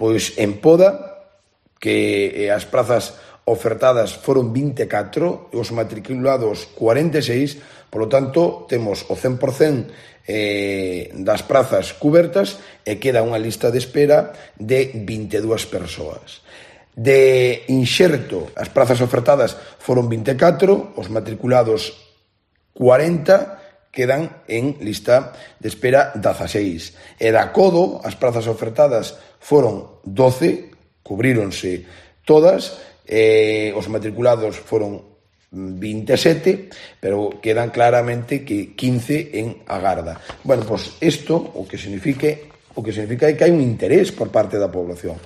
Pois en Poda, que as prazas ofertadas foron 24, os matriculados 46, polo tanto, temos o 100% das prazas cubertas e queda unha lista de espera de 22 persoas. De inxerto, as prazas ofertadas foron 24, os matriculados 40, quedan en lista de espera 16. E da Codo, as prazas ofertadas foron 12, cubríronse todas, os matriculados foron 27, pero quedan claramente que 15 en agarda. Bueno, pois isto o que significa é que hai un interés por parte da población.